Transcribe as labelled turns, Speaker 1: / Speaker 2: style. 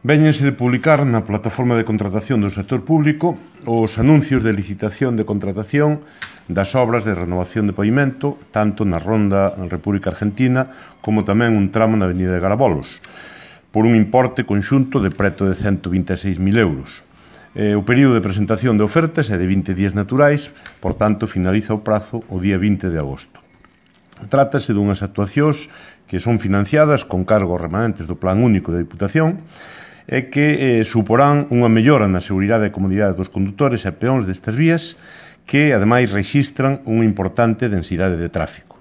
Speaker 1: Véñense de publicar na plataforma de contratación do sector público os anuncios de licitación de contratación das obras de renovación de pavimento, tanto na Ronda República Argentina como tamén un tramo na Avenida de Garabolos, por un importe conxunto de preto de 126.000 euros. O período de presentación de ofertas é de 20 días naturais, por tanto, finaliza o prazo o día 20 de agosto. Trátase dunhas actuacións que son financiadas con cargos remanentes do Plan Único de Diputación e que suporán unha mellora na seguridade e comodidade dos condutores e peóns destas vías que, ademais, rexistran unha importante densidade de tráfico.